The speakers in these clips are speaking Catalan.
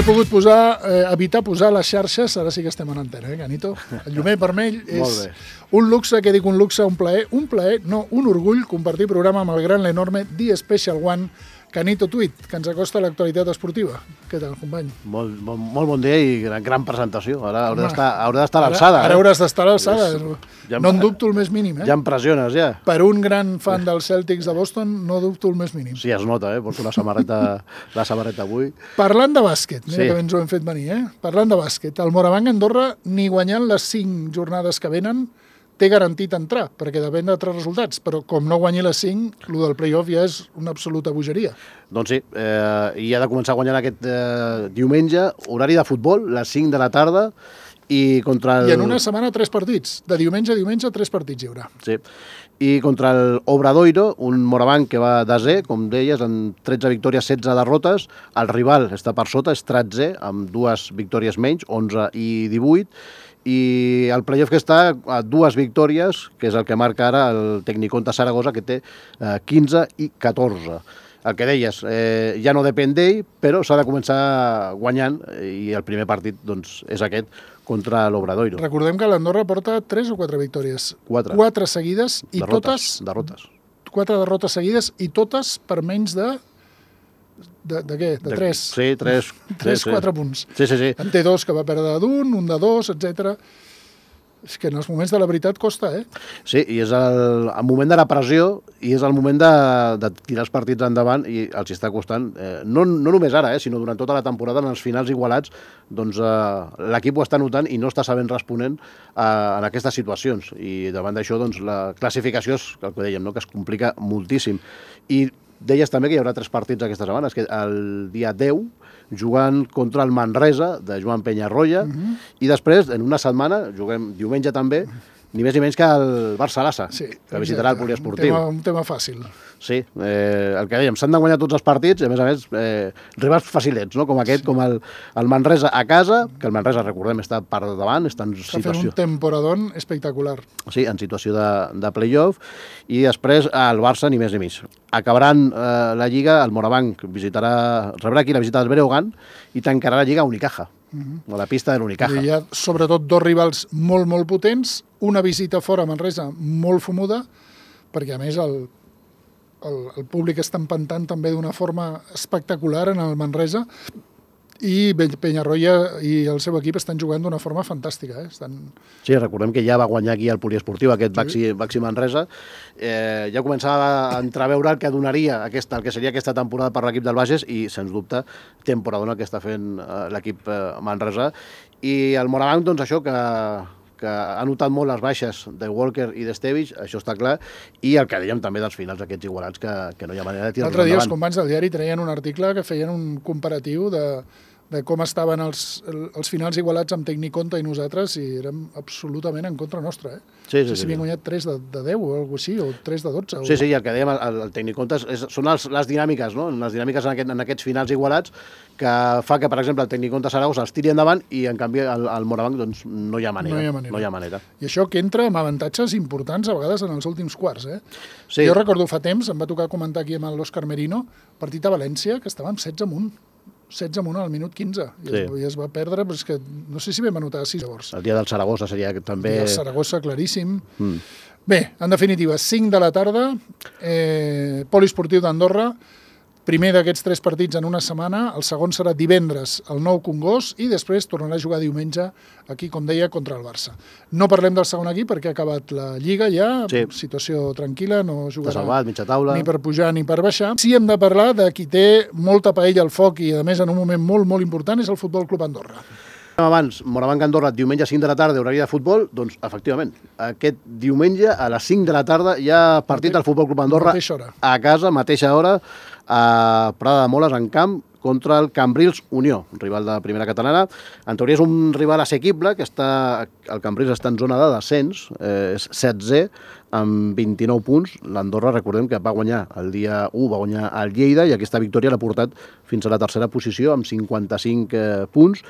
he pogut evitar posar les xarxes, ara sí que estem en antena, Canito? El llumell vermell és un luxe, que dic un luxe, un plaer, no, un orgull, compartir programa amb el gran, l'enorme The Special One, Canito Tweet, que ens acosta a l'actualitat esportiva. Què tal, company? Molt bon dia i gran presentació. Ara haurà d'estar a l'alçada. Ara hauràs d'estar a l'alçada. No en dubto el més mínim, Ja em pressiones, ja. Per un gran fan dels Celtics de Boston, no dubto el més mínim. Sí, es nota, porto la samarreta avui. Parlant de bàsquet, mira que ens ho hem fet venir, Parlant de bàsquet, el Morabanc Andorra, ni guanyant les 5 jornades que venen, té garantit entrar, perquè depèn d'altres resultats, però com no guanyi les 5, el del play-off ja és una absoluta bogeria. Doncs sí, i ha de començar guanyant aquest diumenge, horari de futbol, les 5 de la tarda, i contra el... I en una setmana 3 partits, de diumenge a diumenge 3 partits hi haurà. Sí, i contra el Obradoiro, un Morabanc que va desè, com deies, amb 13 victòries, 16 derrotes, el rival està per sota, és 13è, amb 2 victòries menys, 11 i 18, i el playoff que està a 2 victòries, que és el que marca ara el Tecniconta Saragossa, que té 15 i 14. El que deies, ja no depèn d'ell, però s'ha de començar guanyant, i el primer partit doncs, és aquest, contra l'Obradoiro. Recordem que l'Andorra porta 3 o 4 victòries. 4 seguides i derrotes. 4 derrotes seguides i totes per menys de què? De 3. Sí, 3-4 punts. Sí. En té 2 que va perdre d'un, un de 2, etc. És que en els moments de la veritat costa, Sí, i és el moment de la pressió i és el moment de tirar els partits endavant i els hi està costant, no només ara, sinó durant tota la temporada, en els finals igualats, doncs l'equip ho està notant i no està sabent responent en aquestes situacions. I davant d'això, doncs, la classificació és el que dèiem, no? Que es complica moltíssim. I deies també que hi haurà 3 partits aquesta setmana, és que el dia 10 jugant contra el Manresa, de Joan Penyarroia, i després, en una setmana, juguem diumenge també, ni més ni menys que el Barça-Lassa, que visitarà el poliesportiu. Un tema fàcil. Sí, el que dèiem, s'han de guanyar tots els partits, i a més, rivals facilets, no? Com aquest, com el Manresa a casa, que el Manresa, recordem, està per davant, està en situació... Està fent un temporadón espectacular. Sí, en situació de play-off, i després el Barça, ni més ni menys. Acabaran la Lliga, el Morabanc rebrà aquí la visita del Breogán i tancarà la Lliga a Unicaja, a la pista de l'Unicaja. Hi ha, sobretot, 2 rivals molt potents, una visita fora a Manresa molt fumuda, perquè, a més, el públic està empantant també d'una forma espectacular en el Manresa, i Penyarroia i el seu equip estan jugant d'una forma fantàstica. Sí, recordem que ja va guanyar aquí el poliesportiu, aquest Baxi Manresa. Ja començava a entreveure el que donaria el que seria aquesta temporada per l'equip del Bages i, sens dubte, temporadona que està fent l'equip Manresa. I el Morabanc, doncs això, que ha notat molt les baixes de Walker i d'Estevich, això està clar, i el que dèiem també dels finals aquests igualats, que no hi ha manera de tirar-los endavant. L'altre dia els companys del diari treien un article que feien un comparatiu de com estaven els finals igualats amb Tecniconta i nosaltres, i érem absolutament en contra nostra. Sí. Si havien guanyat 3 de 10 o alguna cosa així, o 3 de 12. Sí, i el que dèiem, el Tecniconta són les dinàmiques, no? Les dinàmiques en aquests finals igualats, que fa que, per exemple, el Tecniconta Saragossa els tiri endavant i, en canvi, el Morabanc doncs, no hi ha manera. I això que entra amb avantatges importants a vegades en els últims quarts. Sí. Jo recordo fa temps, em va tocar comentar aquí amb l'Òscar Merino, partit a València, que estàvem 16 amunt. 16 amunt al minut 15, i es va perdre, però és que no sé si vam anotar 6 llavors. El dia del Saragossa seria també... El dia del Saragossa, claríssim. Bé, en definitiva, 5 de la tarda, poliesportiu d'Andorra, primer d'aquests 3 partits en una setmana, el segon serà divendres al Nou Congost i després tornarà a jugar diumenge aquí, com deia, contra el Barça. No parlem del segon equip perquè ha acabat la Lliga ja, situació tranquil·la, no jugarà salvat, mitja taula, ni per pujar ni per baixar. Sí, hem de parlar de qui té molta paella al foc i, a més, en un moment molt important, és el Futbol Club Andorra. Abans, Morabanc Andorra, diumenge a 5 de la tarda, horari de futbol, doncs, efectivament, aquest diumenge a les 5 de la tarda hi ha partit del Futbol Club Andorra a casa, mateixa hora, a Prada de Moles, en camp, contra el Cambrils Unió, un rival de primera catalana. En teoria és un rival assequible, que el Cambrils està en zona de descens, és 16è, amb 29 punts. L'Andorra, recordem que va guanyar el dia 1, va guanyar el Lleida, i aquesta victòria l'ha portat fins a la tercera posició, amb 55 punts.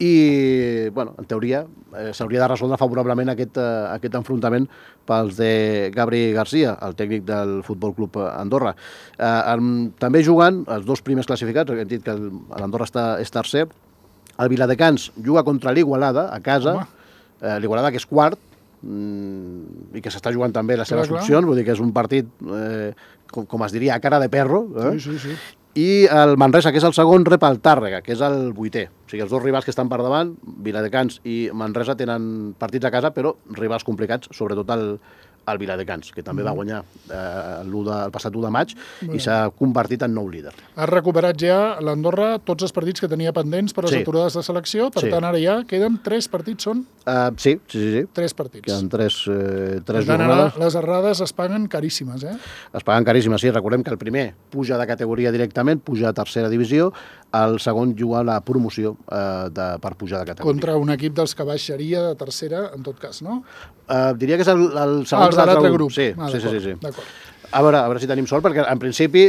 I, bueno, en teoria, s'hauria de resoldre favorablement aquest enfrontament pels de Gabri Garcia, el tècnic del Futbol Club Andorra. També jugant els 2 primers classificats, hem dit que l'Andorra és tercer, El Viladecans juga contra l'Igualada, a casa. L'Igualada, que és quart, i que s'està jugant també les seves opcions, vull dir que és un partit, com es diria, a cara de perro. Sí. I el Manresa, que és el segon, rep el Tàrrega, que és el 8è. O sigui, els dos rivals que estan per davant, Viladecans i Manresa, tenen partits a casa, però rivals complicats, sobretot el Viladecans, que també va guanyar el passat 1 de maig i s'ha convertit en nou líder. Ha recuperat ja l'Andorra tots els partits que tenia pendents per les aturades de selecció, per tant ara ja queden 3 partits, són? Sí. 3 partits. Queden 3 jornades. Les errades es paguen caríssimes, Es paguen caríssimes, sí. Recordem que el primer puja de categoria directament, puja a tercera divisió, el segon juga la promoció per pujar de categoria. Contra un equip dels que baixaria de tercera, en tot cas, no? Diria que és el segon de l'altre grup. Sí. D'acord. A veure si tenim sort, perquè en principi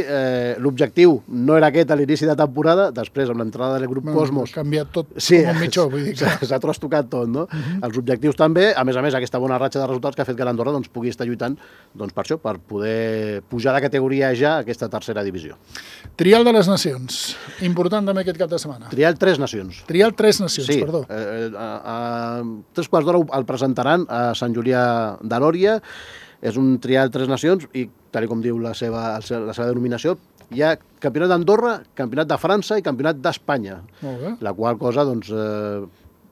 l'objectiu no era aquest a l'inici de temporada, després amb l'entrada del grup Cosmos... Ha canviat tot com un mitjó, vull dir que... S'ha trastocat tot, no? Els objectius també, a més, aquesta bona ratxa de resultats que ha fet que l'Andorra pugui estar lluitant per això, per poder pujar de categoria ja a aquesta tercera divisió. Trial de les Nacions, important també aquest cap de setmana. Trial 3 nacions. Trial 3 nacions, perdó. A 3:15 el presentaran a Sant Julià de Lòria. És un trial 3 nacions i, tal com diu la seva denominació, hi ha campionat d'Andorra, campionat de França i campionat d'Espanya. La qual cosa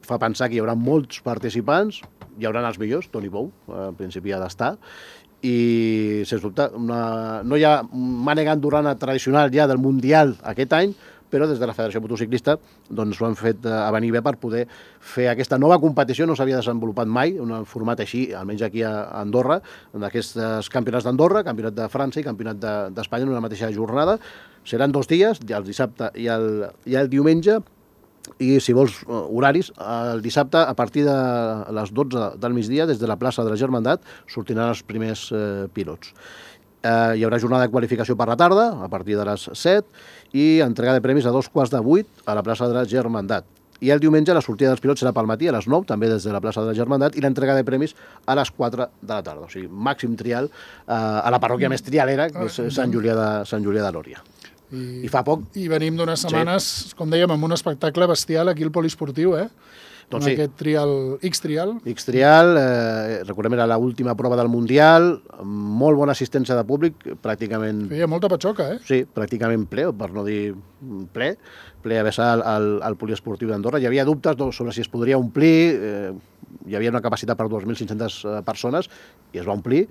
fa pensar que hi haurà molts participants, hi haurà els millors, Toni Bou, en principi ha d'estar, i, sens dubte, no hi ha mànega andorrana tradicional ja del Mundial aquest any, però des de la Federació Motociclista s'ho han fet a venir bé per poder fer aquesta nova competició. No s'havia desenvolupat mai un format així, almenys aquí a Andorra, en aquests campionats d'Andorra, campionat de França i campionat d'Espanya en una mateixa jornada. Seran 2 dies, el dissabte i el diumenge, i si vols horaris, el dissabte a partir de les 12 del migdia, des de la plaça de la Germandat, sortiran els primers pilots. Hi haurà jornada de qualificació per la tarda, a partir de les 7, i entrega de premis a 7:15 a la plaça de la Germandat. I el diumenge la sortida dels pilots serà pel matí, a les 9, també des de la plaça de la Germandat, i l'entrega de premis a les 4 de la tarda. O sigui, màxim trial a la parròquia més trialera, que és Sant Julià de Lòria. I fa poc... I venim d'unes setmanes, com dèiem, amb un espectacle bestial aquí al poliesportiu, Doncs sí. Aquest trial, X-Trial. X-Trial, recordem, era l'última prova del Mundial, molt bona assistència de públic, pràcticament... Feia molta patxoca, Sí, pràcticament ple, per no dir ple a vessar al poliesportiu d'Andorra. Hi havia dubtes sobre si es podria omplir, hi havia una capacitat per 2.500 persones i es va omplir.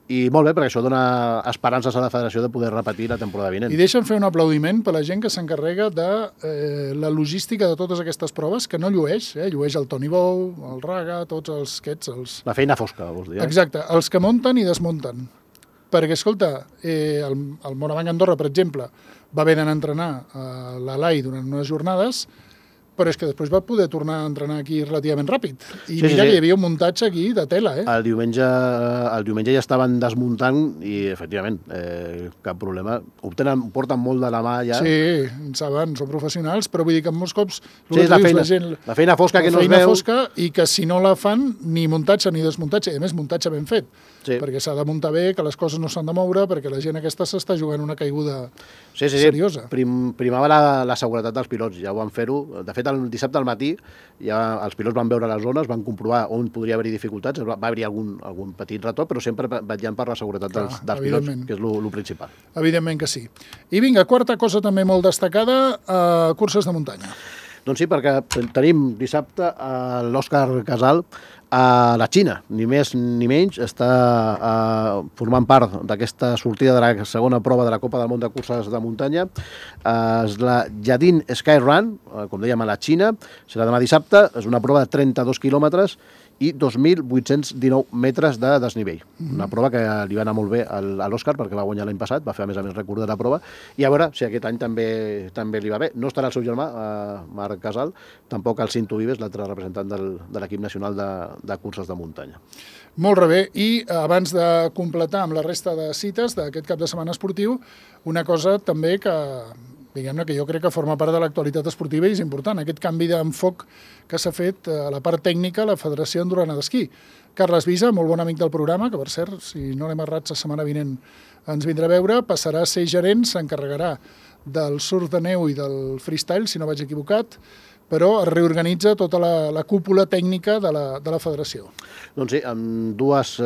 I molt bé, perquè això dona esperances a la federació de poder repetir la temporada vinent. I deixa'm fer un aplaudiment per la gent que s'encarrega de la logística de totes aquestes proves, que no llueix, llueix el Toni Bou, el Raga, tots els aquests... La feina fosca, vols dir? Exacte, els que munten i desmunten. Perquè, escolta, el Morabanc Andorra, per exemple, va haver d'anar a entrenar a l'Alai durant unes jornades, però és que després va poder tornar a entrenar aquí relativament ràpid. I mira que hi havia un muntatge aquí de tela, El diumenge ja estaven desmuntant i, efectivament, cap problema. Porten molt de la mà ja. Sí, en saben, són professionals, però vull dir que molts cops... Sí, és la feina fosca que no es veu. La feina fosca i que si no la fan ni muntatge ni desmuntatge, i a més muntatge ben fet. Sí. Perquè s'ha de muntar bé, que les coses no s'han de moure, perquè la gent aquesta s'està jugant una caiguda seriosa. Primava la seguretat dels pilots, ja ho van fer-ho. De fet, el dissabte al matí ja els pilots van veure les zones, van comprovar on podria haver-hi dificultats, va haver-hi algun petit retorn, però sempre vetllant per la seguretat dels pilots, que és el principal. Evidentment que sí. I vinga, quarta cosa també molt destacada, curses de muntanya. Doncs sí, perquè tenim dissabte l'Òscar Casal a la Xina, ni més ni menys, està formant part d'aquesta sortida de la segona prova de la Copa del Món de Curses de Muntanya. És la Yadin Sky Run, com dèiem, a la Xina, serà demà dissabte, és una prova de 32 quilòmetres i 2.819 metres de desnivell. Una prova que li va anar molt bé a l'Òscar, perquè va guanyar l'any passat, va fer a més rècord de la prova, i a veure si aquest any també li va bé. No estarà el seu germà, Marc Casal, tampoc el Cinto Vives, l'altre representant de l'equip nacional de curses de muntanya. Molt bé, i abans de completar amb la resta de cites d'aquest cap de setmana esportiu, una cosa també que, diguem-ne, que jo crec que forma part de l'actualitat esportiva i és important, aquest canvi d'enfoc que s'ha fet a la part tècnica a la Federació Andorrana d'Esquí. Carles Visa, molt bon amic del programa, que per cert, si no l'hem errat, la setmana vinent ens vindrà a veure, passarà a ser gerent, s'encarregarà del surf de neu i del freestyle, si no vaig equivocat, però es reorganitza tota la cúpula tècnica de la federació. Doncs sí, amb dues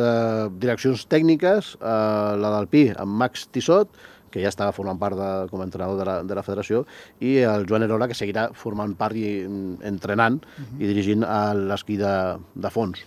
direccions tècniques, la del PI amb Max Tissot, que ja estava formant part com a entrenador de la federació, i el Joan Erola, que seguirà formant part i entrenant i dirigint l'esquí de fons.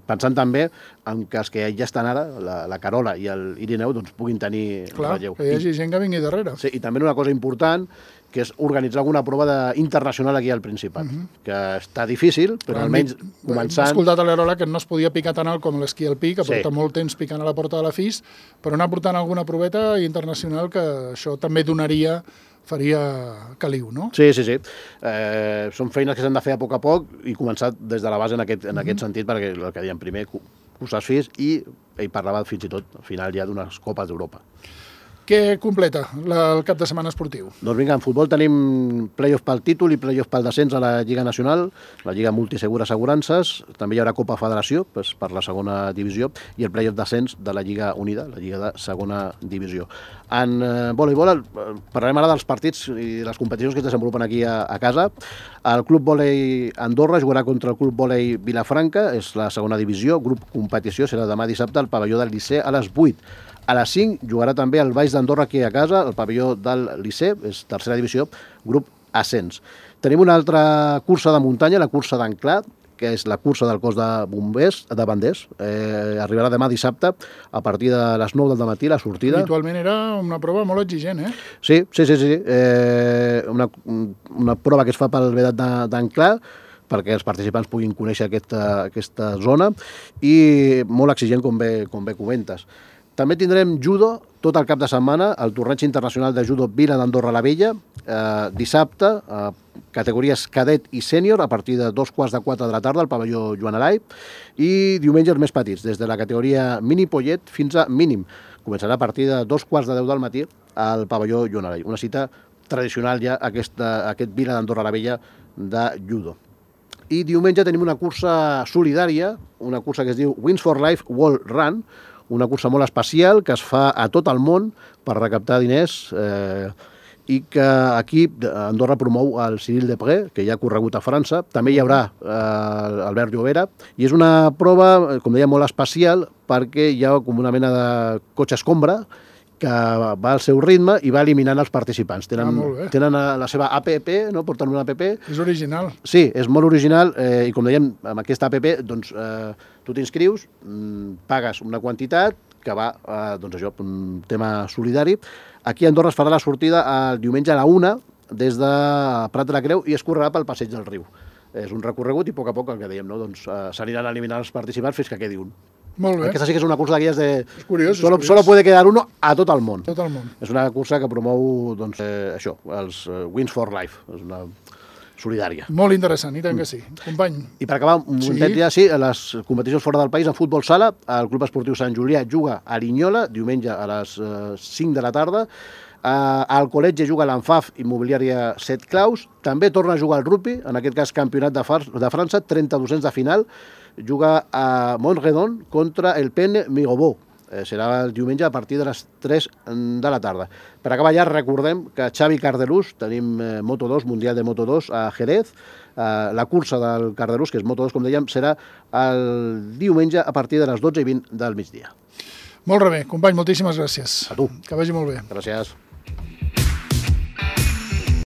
Pensant també en que els que ja estan ara, la Carola i l'Irineu, doncs puguin tenir relleu. Clar, que hi hagi gent que vingui darrere. Sí, i també una cosa important, que és organitzar alguna prova internacional aquí al Principat, que està difícil, però almenys començant... Hem escoltat a l'Erola que no es podia picar tan alt com l'esquí alpí, que porta molt temps picant a la porta de la FIS, però anar portant alguna proveta internacional que això també faria caliu, no? Sí. Són feines que s'han de fer a poc i començar des de la base en aquest sentit, perquè el que dèiem primer, cursar FIS, i ell parlava fins i tot al final ja d'unes Copes d'Europa. Què completa el cap de setmana esportiu? Doncs vinga, en futbol tenim play-off pel títol i play-off pel descens a la Lliga Nacional, la Lliga Multisegura Assegurances, també hi haurà Copa Federació per la segona divisió i el play-off descens de la Lliga Unida, la Lliga de segona divisió. En voleibol parlarem ara dels partits i les competicions que es desenvolupen aquí a casa. El Club Vòlei Andorra jugarà contra el Club Vòlei Vilafranca, és la segona divisió, grup competició, serà demà dissabte al pavelló del Liceu a les 8. A les 5 jugarà també el Baix d'Andorra aquí a casa, el pavelló del Liceu, és tercera divisió, grup ascens. Tenim una altra cursa de muntanya, la cursa d'Anclà, que és la cursa del cos de bombers de Banders. Arribarà demà dissabte a partir de les 9 del matí la sortida. Habitualment era una prova molt exigent, eh? Sí. Una prova que es fa pel vedat d'Anclà, perquè els participants puguin conèixer aquesta zona, i molt exigent, com bé comentes. També tindrem judo tot el cap de setmana, el torneig internacional de judo Vila d'Andorra la Vella, dissabte, categories cadet i sènior, a partir de 3:45 de la tarda al pavelló Joan Alai, i diumenges més petits, des de la categoria mini pollet fins a mínim. Començarà a partir de 2:10 del matí al pavelló Joan Alai. Una cita tradicional ja, aquest Vila d'Andorra la Vella de judo. I diumenge tenim una cursa solidària, una cursa que es diu Wings for Life World Run, una cursa molt especial que es fa a tot el món per recaptar diners i que aquí Andorra promou el Cyril Depré, que ja ha corregut a França. També hi haurà Albert Llobera, i és una prova, com deia, molt especial perquè hi ha com una mena de cotxe escombra que va al seu ritme i va eliminant els participants. Tenen la seva app, no? Porten una app. És original. Sí, és molt original, i com dèiem, amb aquesta app, doncs, tu t'inscrius, pagues una quantitat que va, doncs això, un tema solidari. Aquí a Andorra es farà la sortida el diumenge a la 1 des de Prat de la Creu i es correrà pel Passeig del Riu. És un recorregut i a poc, el que dèiem, no? Doncs s'aniran eliminant els participants fins que quedi un. Molt bé. Aquesta sí que és una cursa d'aquelles de... És curiós. Solo puede quedar uno a tot el món. Tot el món. És una cursa que promou, doncs, això, els Wings for Life. És una solidària. Molt interessant, i tant que sí. Company. I per acabar, un momentet ja, sí, a les competicions fora del país, en futbol sala, el Club Esportiu Sant Julià juga a Linyola, diumenge a les 5 de la tarda. Al col·legi juga l'Anfaf Immobiliària 7 Claus. També torna a jugar el rugby, en aquest cas campionat de França, 32ens de final. Juga a Montredon contra el Pen Migobó. Serà el diumenge a partir de les 3 de la tarda. Per acabar ja, recordem que Xavi Cardelús, tenim Moto2, Mundial de Moto2 a Jerez. La cursa del Cardelús, que és Moto2, com dèiem, serà el diumenge a partir de les 12:20 del migdia. Molt bé, company, moltíssimes gràcies. A tu. Que vagi molt bé. Gràcies.